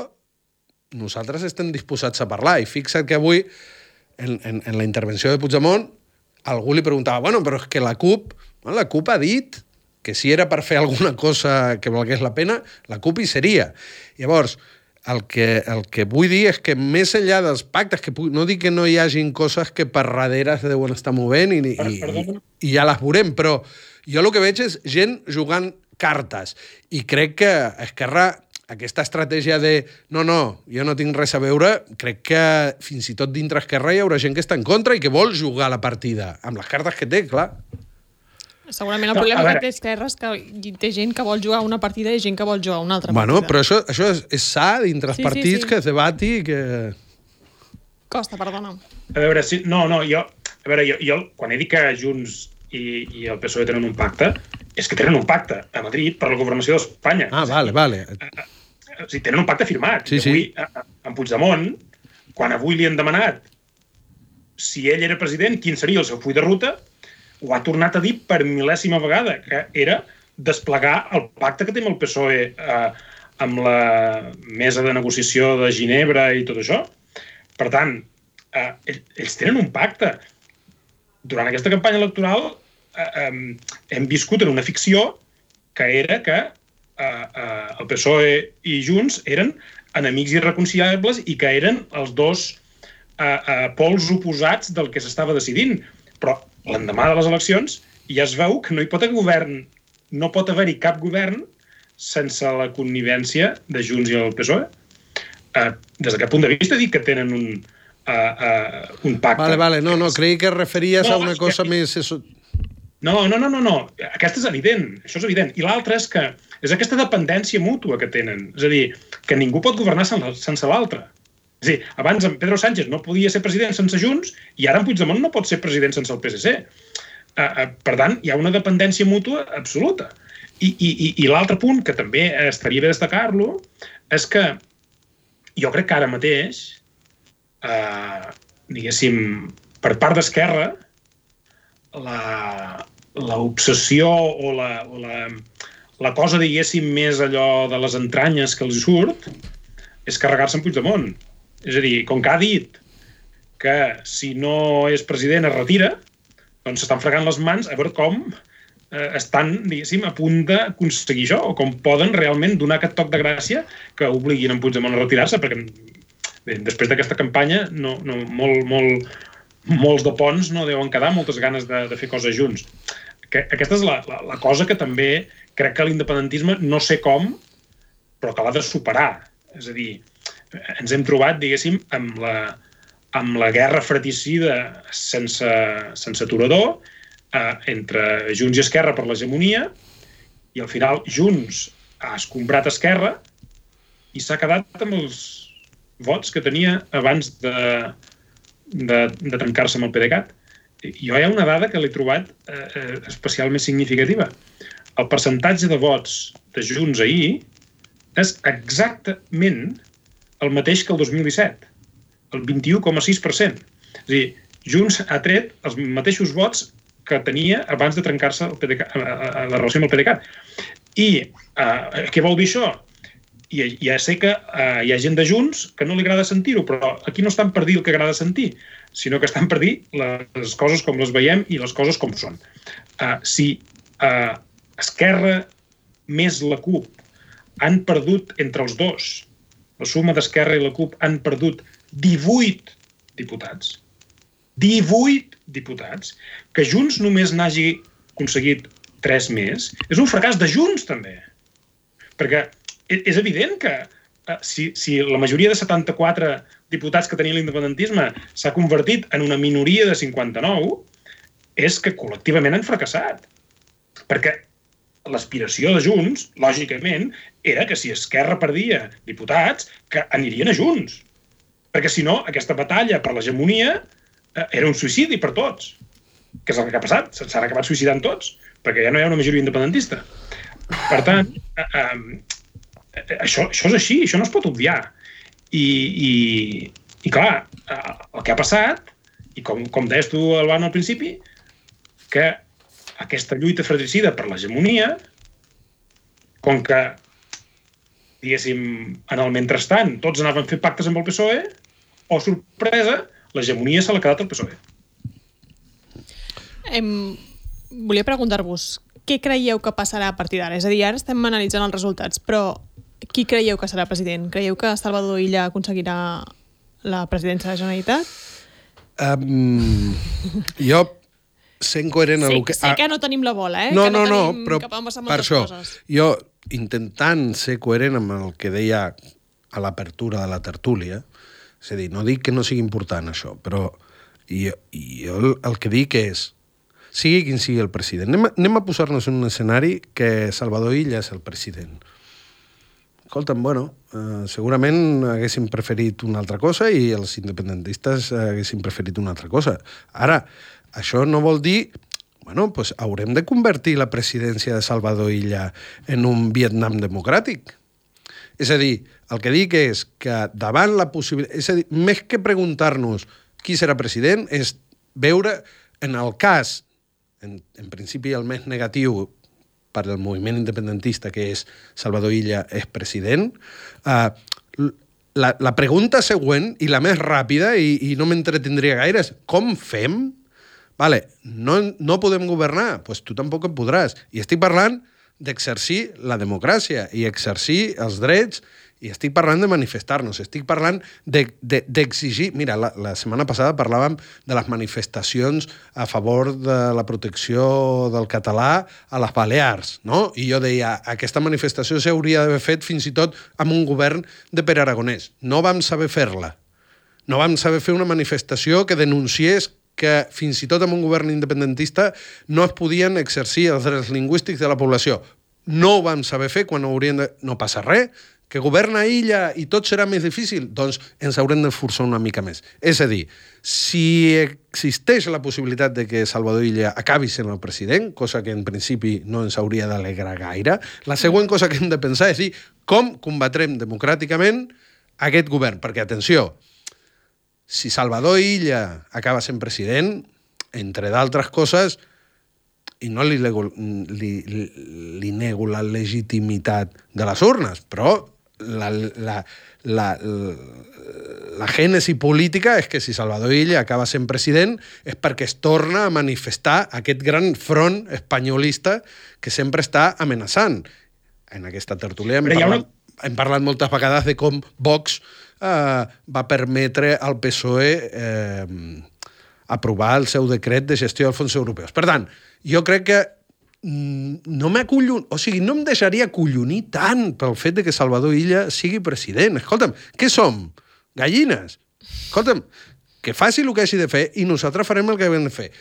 nosaltres estem disposats a parlar, i fixa't que avui En, en, en la intervenció de Puigdemont, algú li preguntava, bueno, però és que la CUP, bueno, la CUP ha dit que si era per fer alguna cosa que valgués la pena, la CUP hi seria. Llavors, el que, el que vull dir és que més enllà dels pactes, que no dic que no hi hagin coses que per darrere es deuen estar movent i, i, i, i ja les veurem, però jo el que veig és gent jugant cartes, i crec que Esquerra... Aquesta estratègia de no, no, jo no tinc res a veure, crec que fins i tot dintre Esquerra hi haurà gent que està en contra i que vol jugar la partida, amb les cartes que té, clar. Segurament el no, problema que té Esquerra és que té gent que vol jugar una partida i gent que vol jugar una altra bueno, partida. Però això, això és, és sa dintre els sí, partits sí, sí. que es debati i que... Costa, perdona. A veure, si, no, no, jo, a veure, jo, jo quan he dit que Junts i, i el P S O E tenen un pacte, és que tenen un pacte a Madrid per la governació d'Espanya. Ah, vale, vale. O sigui, tenen un pacte firmat. Sí, sí. Avui, en Puigdemont, quan avui li han demanat si ell era president, quin seria el seu full de ruta, ho ha tornat a dir per mil·lèsima vegada, que era desplegar el pacte que té amb el P S O E eh, amb la mesa de negociació de Ginebra i tot això. Per tant, eh, ells tenen un pacte. Durant aquesta campanya electoral eh, eh, hem viscut en una ficció que era que Uh, uh, el P S O E i Junts eren enemics irreconciliables i que eren els dos uh, uh, pols oposats del que s'estava decidint. Però l'endemà de les eleccions ja es veu que no hi pot haver govern, no pot haver-hi cap govern sense la connivència de Junts i el P S O E. Uh, des d'aquest punt de vista dic que tenen un, uh, uh, un pacte. Vale, vale, no, no, creia que referies no, a una cosa que... més... No, no, no, no, no. Aquesta és evident, això és evident. I l'altra és que és aquesta dependència mútua que tenen. És a dir, que ningú pot governar sense l'altre. És a dir, abans en Pedro Sánchez no podia ser president sense Junts i ara en Puigdemont no pot ser president sense el P S C. Uh, uh, per tant, hi ha una dependència mútua absoluta. I, i, i, i l'altre punt, que també estaria bé destacar-lo, és que jo crec que ara mateix, uh, diguéssim, per part d'Esquerra, la... l'obsessió o, la, o la, la cosa, diguéssim, més allò de les entranyes que els surt és carregar-se en Puigdemont. És a dir, com que ha dit que si no és president es retira, doncs s'estan fregant les mans a veure com eh, estan, diguéssim, a punt d'aconseguir això, o com poden realment donar aquest toc de gràcia que obliguin en Puigdemont a retirar-se, perquè bé, després d'aquesta campanya no, no, molt, molt, molts de ponts no deuen quedar, moltes ganes de, de fer coses junts. Que, aquesta és la, la, la cosa que també crec que l'independentisme, no sé com, però que l'ha de superar. És a dir, ens hem trobat, diguéssim, amb la, amb la guerra fratricida sense, sense aturador eh, entre Junts i Esquerra per l'hegemonia, i al final Junts ha escombrat Esquerra i s'ha quedat amb els vots que tenia abans de, de, de trencar-se amb el PDeCAT. Jo hi ha una dada que l'he trobat eh, especialment significativa. El percentatge de vots de Junts ahir és exactament el mateix que el dos mil disset, el vint-i-u coma sis per cent. És a dir, Junts ha tret els mateixos vots que tenia abans de trencar-se el P D C A, la relació amb el P D C A. I uh, què vol dir això? I ja sé que uh, hi ha gent de Junts que no li agrada sentir-ho, però aquí no estan per dir el que agrada sentir, sinó que estan per dir les coses com les veiem i les coses com són. Uh, si uh, Esquerra més la CUP han perdut entre els dos, la suma d'Esquerra i la CUP han perdut divuit diputats, divuit diputats, que Junts només n'hagi aconseguit tres més, és un fracàs de Junts, també. Perquè és evident que eh, si, si la majoria de setanta-quatre diputats que tenia l'independentisme s'ha convertit en una minoria de cinquanta-nou, és que col·lectivament han fracassat. Perquè l'aspiració de Junts, lògicament, era que si Esquerra perdia diputats, que anirien a Junts. Perquè, si no, aquesta batalla per l'hegemonia eh, era un suïcidi per tots. Que és el que ha passat. S'han acabat suïcidant tots, perquè ja no hi ha una majoria independentista. Per tant, eh, eh, això, això és així, això no es pot obviar. I, i, i clar, eh, el que ha passat, i com, com deies tu, Albano, al principi, que aquesta lluita fratricida per l'hegemonia, com que, diguéssim, en el mentrestant, tots anaven a fer pactes amb el P S O E, o, sorpresa, l'hegemonia se l'ha quedat al P S O E. Em... Volia preguntar-vos, què creieu que passarà a partir d'ara? És a dir, ara estem analitzant els resultats, però qui creieu que serà president? Creieu que Salvador Illa aconseguirà la presidència de la Generalitat? Um, jo... sent coherent sé, a lo que... Sé que no tenim la bola, eh? No, que no, no, tenim no, però cap a per això, coses. Jo, intentant ser coherent amb el que deia a l'apertura de la tertúlia, és a dir, no dic que no sigui important això, però jo, jo el, el que dic és, sigui quin sigui el president, anem a, anem a posar-nos en un escenari que Salvador Illa és el president. Escolta'm, bueno, eh, segurament haguéssim preferit una altra cosa i els independentistes haguessin preferit una altra cosa. Ara, això no vol dir... Bueno, doncs haurem de convertir la presidència de Salvador Illa en un Vietnam democràtic. És a dir, el que dic és que davant la possibilitat... És a dir, més que preguntar-nos qui serà president, és veure en el cas, en, en principi el més negatiu per al moviment independentista, que és Salvador Illa és president, eh, la, la pregunta següent, i la més ràpida, i, i no m'entretindria gaire, és com fem? Vale, no, no podem governar? Doncs pues tu tampoc en podràs. I estic parlant d'exercir la democràcia i exercir els drets, i estic parlant de manifestar-nos, estic parlant d'exigir... De, de, Mira, la, la setmana passada parlàvem de les manifestacions a favor de la protecció del català a les Balears, no? I jo deia, aquesta manifestació s'hauria d'haver fet fins i tot amb un govern de Pere Aragonès. No vam saber fer-la. No vam saber fer una manifestació que denunciés que fins i tot amb un govern independentista no es podien exercir els drets lingüístics de la població. No ho vam saber fer quan haurien de... No passa res, que governa Illa i tot serà més difícil, doncs ens haurem d'esforçar una mica més. És a dir, si existeix la possibilitat de que Salvador Illa acabi sent el president, cosa que en principi no ens hauria d'alegrar gaire, la següent cosa que hem de pensar és dir com combatrem democràticament aquest govern. Perquè, atenció, si Salvador Illa acaba sent president, entre d'altres coses, i no li, li, li, li nego la legitimitat de les urnes, però la, la, la, la gènesi política és que si Salvador Illa acaba sent president és perquè es torna a manifestar aquest gran front espanyolista que sempre està amenaçant. En aquesta tertúlia hem parlat, una... hem parlat moltes vegades de com Vox eh, va permetre al P S O E eh, aprovar el seu decret de gestió dels fons europeus. Per tant, jo crec que no m'acollon... O sigui, no em deixaria acollonir tant pel fet de que Salvador Illa sigui president. Escolta'm, què som? Gallines? Escolta'm, que faci el que hagi de fer i nosaltres farem el que hem de fer.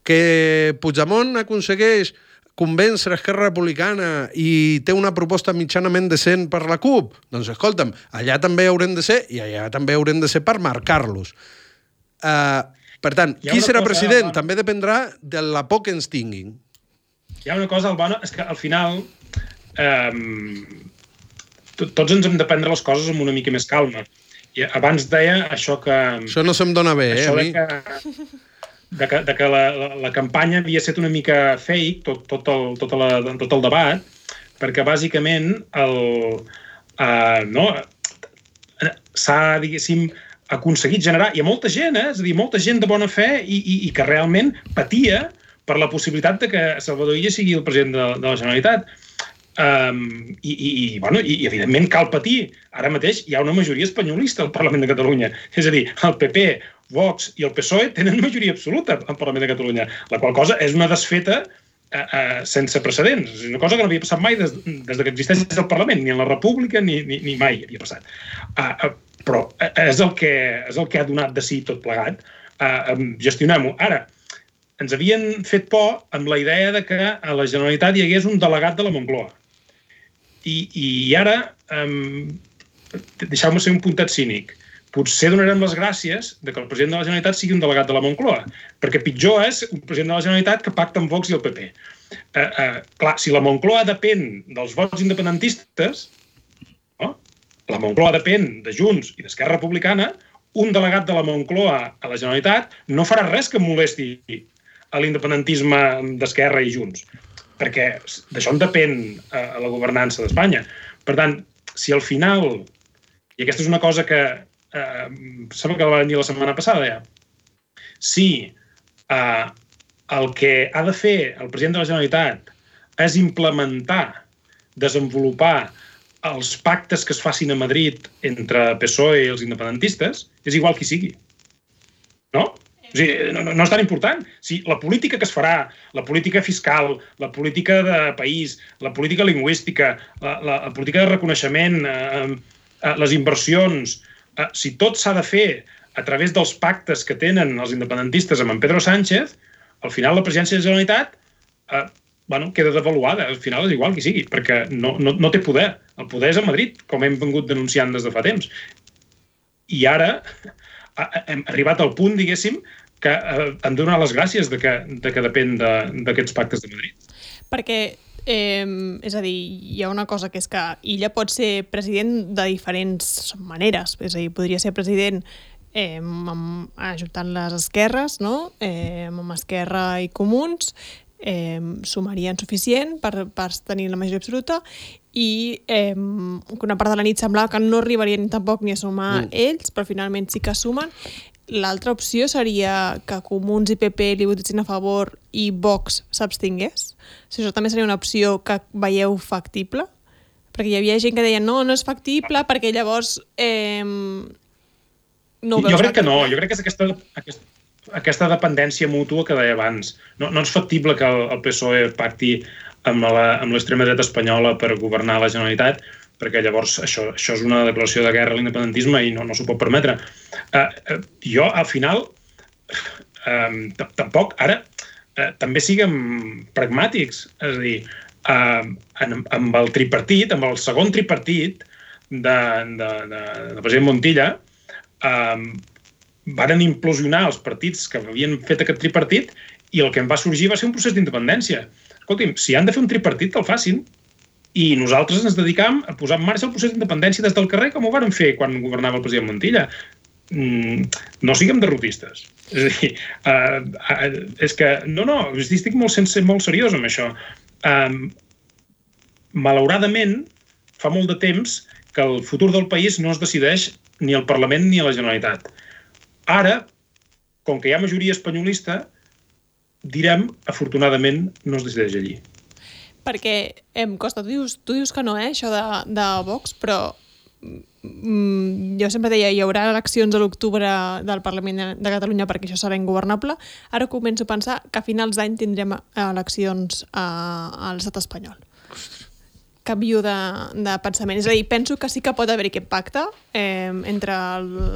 Que Puigdemont aconsegueix convèncer Esquerra Republicana i té una proposta mitjanament decent per la CUP? Doncs escolta'm, allà també haurem de ser i allà també haurem de ser per marcar-los. Uh, per tant, qui serà cosa, president? Albano, també dependrà de la por que ens tinguin. Hi ha una cosa, Albano, és que al final eh, tots ens hem de prendre les coses amb una mica més calma. I abans deia això que... Això no se'm dona bé, eh, a mi. Que, de que, de que la, la, la campanya havia estat una mica fake, tot, tot, el, tot, la, tot el debat, perquè bàsicament el, uh, no, s'ha, diguéssim, aconseguit generar... Hi ha molta gent, eh? És a dir, molta gent de bona fe i, i, i que realment patia per la possibilitat de que Salvador Illa sigui el president de, de la Generalitat. Um, i, i, bueno, i, i, evidentment, cal patir. Ara mateix hi ha una majoria espanyolista al Parlament de Catalunya. És a dir, el P P, Vox i el P S O E tenen majoria absoluta al Parlament de Catalunya, la qual cosa és una desfeta uh, uh, sense precedents. És una cosa que no havia passat mai des, des que existeix el Parlament, ni en la República, ni, ni, ni mai havia passat. Uh, uh, però és el, que, és el que ha donat de si tot plegat. Uh, um, gestionem-ho. Ara, ens havien fet por amb la idea de que a la Generalitat hi hagués un delegat de la Moncloa. I, i ara, um, deixeu-me ser un puntet cínic, potser donarem les gràcies de que el president de la Generalitat sigui un delegat de la Moncloa, perquè pitjor és un president de la Generalitat que pacta amb Vox i el P P. Uh, uh, clar, si la Moncloa depèn dels vots independentistes, no? La Moncloa depèn de Junts i d'Esquerra Republicana, un delegat de la Moncloa a la Generalitat no farà res que molesti a l'independentisme d'Esquerra i Junts, perquè d'això en depèn eh, la governança d'Espanya. Per tant, si al final, i aquesta és una cosa que eh, sembla que la van dir la setmana passada ja, si eh, el que ha de fer el president de la Generalitat és implementar, desenvolupar els pactes que es facin a Madrid entre P S O E i els independentistes, és igual qui sigui. No? O sigui, no, no és tan important. Si la política que es farà, la política fiscal, la política de país, la política lingüística, la, la, la política de reconeixement, eh, eh, les inversions, eh, si tot s'ha de fer a través dels pactes que tenen els independentistes amb en Pedro Sánchez, al final la presidència de la Generalitat eh, bueno, queda devaluada. Al final és igual qui sigui, perquè no, no, no té poder. El poder és a Madrid, com hem vingut denunciant des de fa temps. I ara hem arribat al punt, diguéssim, que eh, hem de donar les gràcies de que, de que depèn d'aquests de, pactes de Madrid. Perquè, eh, és a dir, hi ha una cosa que és que Illa pot ser president de diferents maneres. És a dir, podria ser president eh, amb, ajuntant les esquerres, no? eh, amb Esquerra i Comuns, eh, sumarien suficient per, per tenir la majoria absoluta i eh, una part de la nit semblava que no arribarien tampoc ni a sumar mm. ells, però finalment sí que sumen. L'altra opció seria que Comuns i P P li votessin a favor i Vox s'abstingués. Si això també seria una opció que veieu factible, perquè hi havia gent que deia no, no és factible perquè llavors eh, no ho veus jo crec factible. Que no, jo crec que és aquesta, aquesta, aquesta dependència mútua que deia abans. No, no és factible que el, el P S O E pacti amb l'extrema dreta espanyola per governar la Generalitat, perquè llavors això, això és una declaració de guerra a l'independentisme i no, no s'ho pot permetre. Uh, uh, jo, al final, uh, tampoc, ara, uh, també siguem pragmàtics. És a dir, uh, en, amb el tripartit, amb el segon tripartit de, de, de, de president Montilla, uh, varen implosionar els partits que havien fet aquest tripartit i el que en va sorgir va ser un procés d'independència. Escolti'm, si han de fer un tripartit, que el facin. I nosaltres ens dedicam a posar en marxa el procés d'independència des del carrer, com ho vàrem fer quan governava el president Montilla. Mm, no siguem derrotistes. És a dir, uh, uh, és que... No, no, estic molt, sense, molt seriós amb això. Um, malauradament, fa molt de temps que el futur del país no es decideix ni al Parlament ni a la Generalitat. Ara, com que hi ha majoria espanyolista, direm, afortunadament, no es decideix allí. Perquè em costa, tu dius, tu dius que no, eh, això de, de Vox, però mm, jo sempre deia hi haurà eleccions a l'octubre del Parlament de, de Catalunya perquè això serà ingovernable. Ara començo a pensar que a finals d'any tindrem eleccions a, a l'estat espanyol. Canvio de, de pensament. És a dir, penso que sí que pot haver aquest pacte eh, entre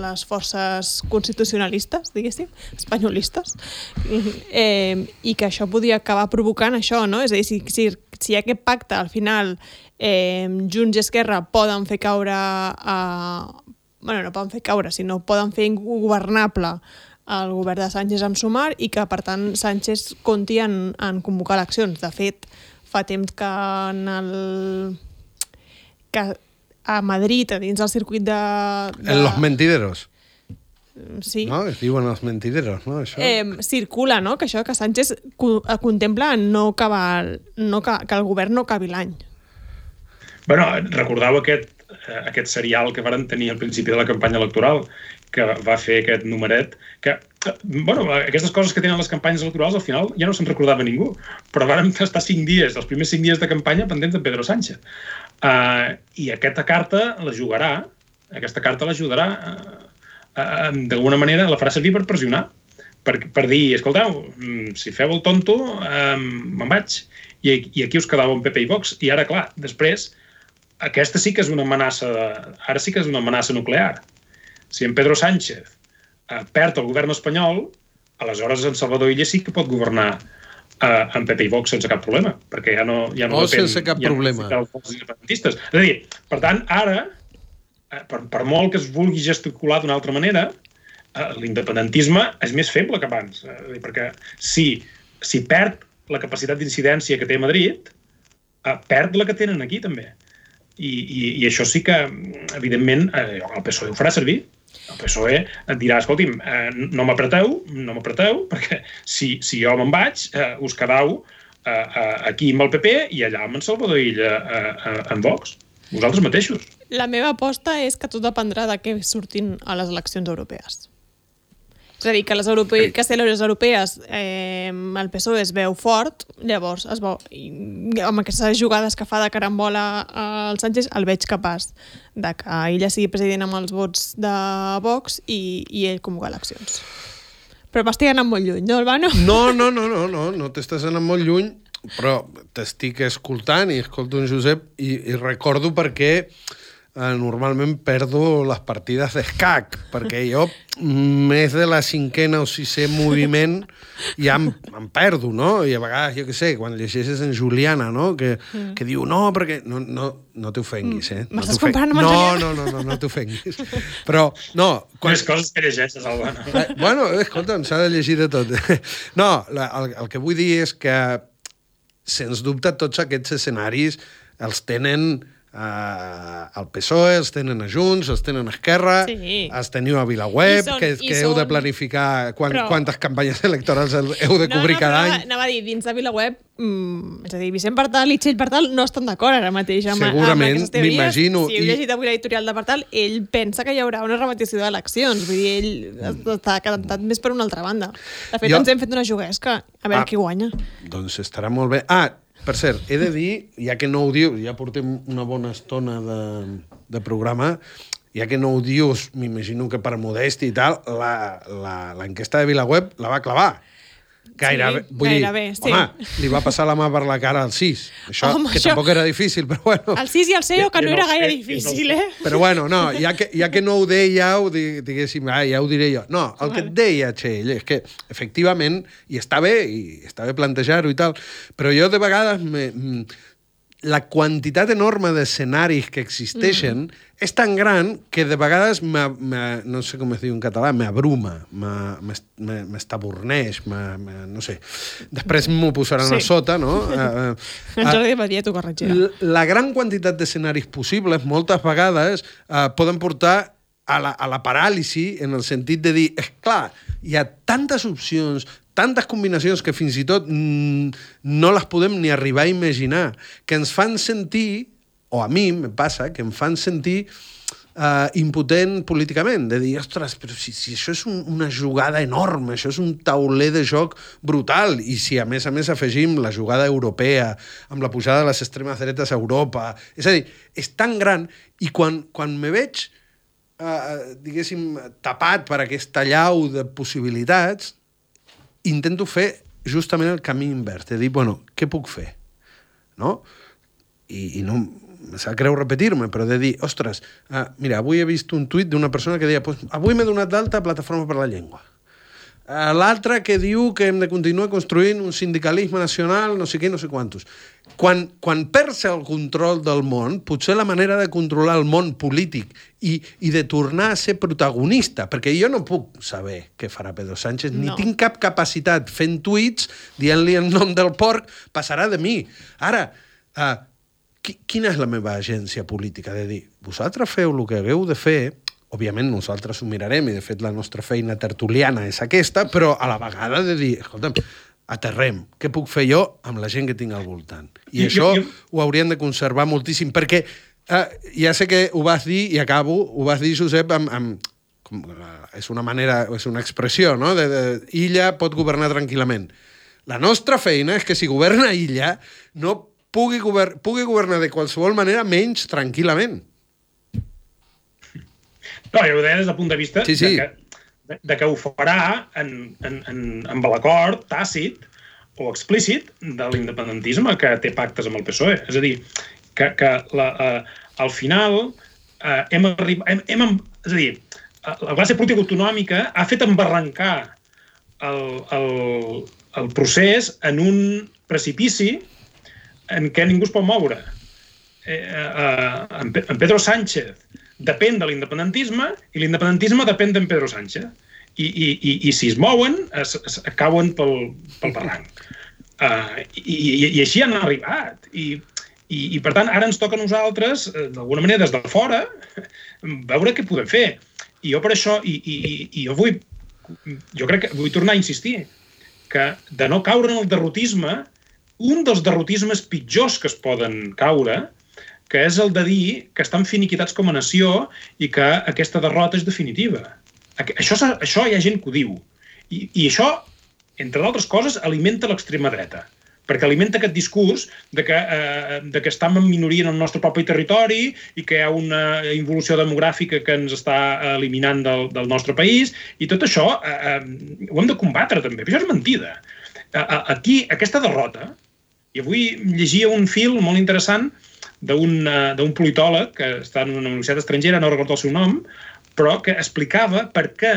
les forces constitucionalistes, diguéssim, espanyolistes, eh, i que això podria acabar provocant això, no? És a dir, si, si, si hi ha aquest pacte, al final eh, Junts i Esquerra poden fer caure... Eh, bueno, no poden fer caure, sinó poden fer ingovernable el govern de Sánchez amb Sumar i que, per tant, Sánchez compti en, en convocar eleccions. De fet, fa temps que en el... que a Madrid, a dins del circuit de... de... En los mentideros. Sí. No? Es diuen els mentideros, no? Això. Eh, circula, no?, que això, que Sánchez co contempla no acabar, no ca que el govern no acabi l'any. Bueno, recordeu aquest, aquest serial que varen tenir al principi de la campanya electoral, que va fer aquest numeret, que, bueno, aquestes coses que tenen les campanyes electorals al final ja no se'n recordava ningú, però varen estar cinc dies, els primers cinc dies de campanya pendents de Pedro Sánchez. Uh, I aquesta carta la jugarà, aquesta carta l'ajudarà, uh, uh, d'alguna manera la farà servir per pressionar, per, per dir, escolteu, si feu el tonto, um, me'n vaig. I, I aquí us quedàveu en P P i Vox. I ara, clar, després, aquesta sí que és una amenaça, ara sí que és una amenaça nuclear. Si en Pedro Sánchez eh, perd el govern espanyol, aleshores en Salvador Illa sí que pot governar eh, en P P i Vox sense cap problema, perquè ja no, ja no o depèn... sense cap ja problema. No dels independentistes. És a dir, per tant, ara, eh, per, per molt que es vulgui gesticular d'una altra manera, eh, l'independentisme és més feble que abans. Eh, perquè si, si perd la capacitat d'incidència que té a Madrid, eh, perd la que tenen aquí, també. I, i, i això sí que, evidentment, eh, el P S O E ho farà servir. El P S O E et dirà, escolti'm, eh, no m'apreteu, no m'apreteu, perquè si, si jo me'n vaig, eh, us quedau eh, eh, aquí amb el P P i allà amb en Salvador Illa eh, eh, en Vox. Vosaltres mateixos. La meva aposta és que tot dependrà de què surtin a les eleccions europees. És a dir, que les, europe... que si les europees eh, el P S O E es veu fort, llavors es veu, i, amb aquestes jugades que fa de carambola al Sánchez, el veig capaç de que ella sigui president amb els vots de Vox i, i ell convocar eleccions. Però m'estic anant molt lluny, no, Albano? No, no, no, no, no, no t'estàs anant molt lluny, però t'estic escoltant i escolto en Josep i, i recordo perquè eh, normalment perdo les partides d'escac, perquè jo més de la cinquena o sisè moviment ja em, em perdo, no? I a vegades, jo què sé, quan llegeixes en Juliana, no? Que, mm. que diu, no, perquè... No, no, no t'ofenguis, eh? M'estàs no comparant amb en no, Juliana? no, no, no, no t'ofenguis. Però, no... Quan... Les coses que llegeixes, Albano. Eh, bueno, escolta'm, s'ha de llegir de tot. No, la, el, el que vull dir és que, sens dubte, tots aquests escenaris els tenen... Uh, el P S O E, els tenen a Junts, els tenen a Esquerra, sí. els teniu a Vilaweb, són, que, que heu són... de planificar quan, però... quantes campanyes electorals heu de cobrir no, no, cada any. Anava, anava a dir, dins de Vilaweb, mmm, és a dir, Vicent Partal i Txell Partal no estan d'acord ara mateix amb, Segurament, amb aquestes teories. m'imagino. Si heu I... llegit avui l'editorial de Partal, ell pensa que hi haurà una repetició d'eleccions. Vull dir, ell està cantat més per una altra banda. De fet, jo... ens hem fet una juguesca, a veure ah, qui guanya. Doncs estarà molt bé. Ah, per cert, he de dir, ja que no ho diu, ja portem una bona estona de, de programa, ja que no ho dius, m'imagino que per modèstia i tal, l'enquesta de Vilaweb la va clavar. Gairebé, sí, vull gairebé, dir, sí. Home, li va passar la mà per la cara al sis. Això, home, que això... tampoc era difícil, però bueno. El sis i el C E O, que no era gaire difícil, eh? Però bueno, no, ja que, ja que no ho dèieu, diguéssim, ah, ja ho diré jo. No, el que et deia, Txell, és que, efectivament, i està bé, i està bé plantejar-ho i tal, però jo de vegades me, la quantitat enorme d'escenaris que existeixen mm. és tan gran que de vegades, me, me, no sé com es diu en català, m'abruma, m'estaborneix, no sé. Després m'ho posaran sí. a sota, no? Uh, en Jordi Badia t'ho corregirà. La, la gran quantitat d'escenaris possibles, moltes vegades, uh, poden portar a la, a la paràlisi, en el sentit de dir, és clar, hi ha tantes opcions, tantes combinacions que fins i tot mm, no les podem ni arribar a imaginar, que ens fan sentir, o a mi me passa, que em fan sentir uh, impotent políticament, de dir, ostres, però si, si això és un, una jugada enorme, això és un tauler de joc brutal, i si a més a més afegim la jugada europea, amb la pujada de les extremes dretes a Europa, és a dir, és tan gran, i quan, quan me veig, uh, diguéssim, tapat per aquesta llau de possibilitats, intento fer justament el camí invers, de dir, bueno, què puc fer? No? I, i no em sap greu repetir-me, però de dir, ostres, uh, mira, avui he vist un tuit d'una persona que deia, pues, avui m'he donat d'alta a Plataforma per la Llengua. Uh, L'altre que diu que hem de continuar construint un sindicalisme nacional, no sé què, no sé quantos. Quan, quan perds el control del món, potser la manera de controlar el món polític i, i de tornar a ser protagonista, perquè jo no puc saber què farà Pedro Sánchez, no. Ni tinc cap capacitat fent tuits, dient-li el nom del porc, passarà de mi. Ara, uh, quina és la meva agència política? De dir, vosaltres feu el que hagueu de fer, òbviament nosaltres ho mirarem, i de fet la nostra feina tertuliana és aquesta, però a la vegada de dir, escolta'm, aterrem, què puc fer jo amb la gent que tinc al voltant? I, I això jo, jo... ho haurien de conservar moltíssim, perquè eh, ja sé que ho vas dir, i acabo, ho vas dir, Josep, amb, amb com, és una manera, és una expressió, no? De, de, Illa pot governar tranquil·lament. La nostra feina és que si governa Illa no pugui, govern, pugui governar de qualsevol manera menys tranquil·lament. No, jo ho deia des del punt de vista sí, sí. De, que, de, de que ho farà en, en, en, amb l'acord tàcit o explícit de l'independentisme que té pactes amb el P S O E. És a dir, que, que la, uh, al final uh, hem arribat... Hem, hem, és a dir, la classe política autonòmica ha fet embarrancar el, el, el procés en un precipici en què ningú es pot moure. Eh, eh, en Pedro Sánchez depèn de l'independentisme i l'independentisme depèn d'en Pedro Sánchez. I, i, i, i si es mouen, es, es cauen pel, pel barranc. Uh, i, i, I així han arribat. I, i, I, per tant, ara ens toca a nosaltres, d'alguna manera, des de fora, veure què podem fer. I jo per això, i, i, i jo vull, jo crec que vull tornar a insistir, que de no caure en el derrotisme, un dels derrotismes pitjors que es poden caure, que és el de dir que estan finiquitats com a nació i que aquesta derrota és definitiva. Això, això hi ha gent que ho diu. I, i això, entre d'altres coses, alimenta l'extrema dreta. Perquè alimenta aquest discurs de que, eh, de que estem en minoria en el nostre propi territori i que hi ha una involució demogràfica que ens està eliminant del, del nostre país. I tot això eh, ho hem de combatre també. Però això és mentida. Aquí, aquesta derrota, i avui llegia un fil molt interessant d'un politòleg que està en una universitat estrangera, no recordo el seu nom, però que explicava per què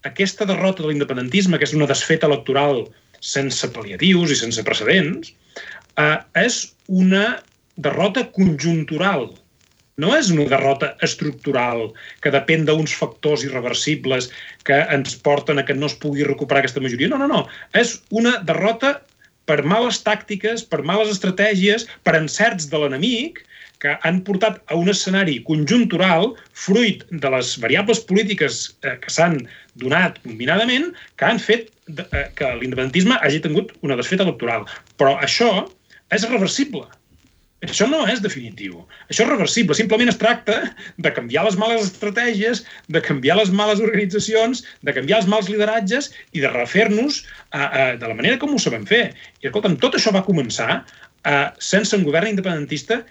aquesta derrota de l'independentisme, que és una desfeta electoral sense pal·liatius i sense precedents, eh, és una derrota conjuntural. No és una derrota estructural que depèn d'uns factors irreversibles que ens porten a que no es pugui recuperar aquesta majoria. No, no, no. És una derrota per males tàctiques, per males estratègies, per encerts de l'enemic, que han portat a un escenari conjuntural, fruit de les variables polítiques eh, que s'han donat combinadament, que han fet de, eh, que l'independentisme hagi tingut una desfeta electoral. Però això és reversible. Això no és definitiu. Això és reversible. Simplement es tracta de canviar les males estratègies, de canviar les males organitzacions, de canviar els mals lideratges i de refer-nos a, a, de la manera com ho sabem fer. I, escolta'm, tot això va començar a, sense un govern independentista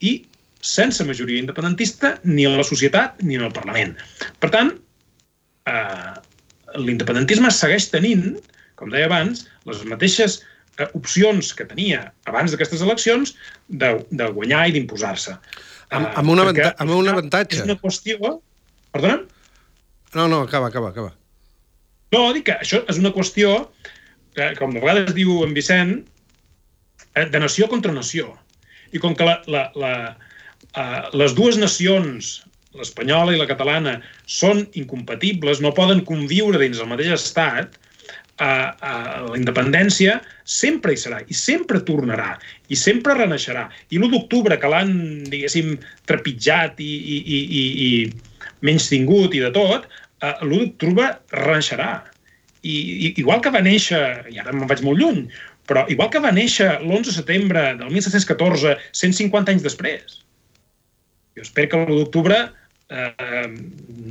i sense majoria independentista ni en la societat ni en el Parlament. Per tant, eh, l'independentisme segueix tenint, com deia abans, les mateixes opcions que tenia abans d'aquestes eleccions de, de guanyar i d'imposar-se. Amb, amb, una avanta amb un avantatge. És una qüestió... Perdona? No, no, acaba, acaba, acaba. No, dic que això és una qüestió, que, com de vegades diu en Vicent, de nació contra nació. I com que la, la, la, uh, les dues nacions, l'espanyola i la catalana, són incompatibles, no poden conviure dins el mateix estat, Uh, uh, la independència sempre hi serà i sempre tornarà i sempre reneixerà. I l'u d'octubre, que l'han, diguéssim, trepitjat i, i, i, i, i menys tingut i de tot, uh, l'u d'octubre reneixerà. I, i igual que va néixer, i ara me'n vaig molt lluny, però igual que va néixer l'onze de setembre del mil set-cents catorze, cent cinquanta anys després. Jo espero que l'u d'octubre uh,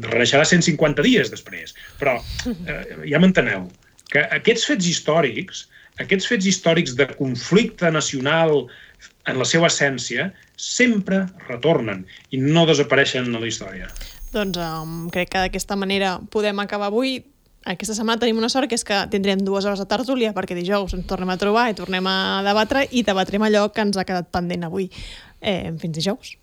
reneixerà cent cinquanta dies després, però uh, ja m'enteneu. Que aquests fets històrics, aquests fets històrics de conflicte nacional en la seva essència, sempre retornen i no desapareixen a la història. Doncs um, crec que d'aquesta manera podem acabar avui. Aquesta setmana tenim una sort, que és que tindrem dues hores de tertúlia, perquè dijous ens tornem a trobar i tornem a debatre i debatrem allò que ens ha quedat pendent avui. Eh, fins dijous.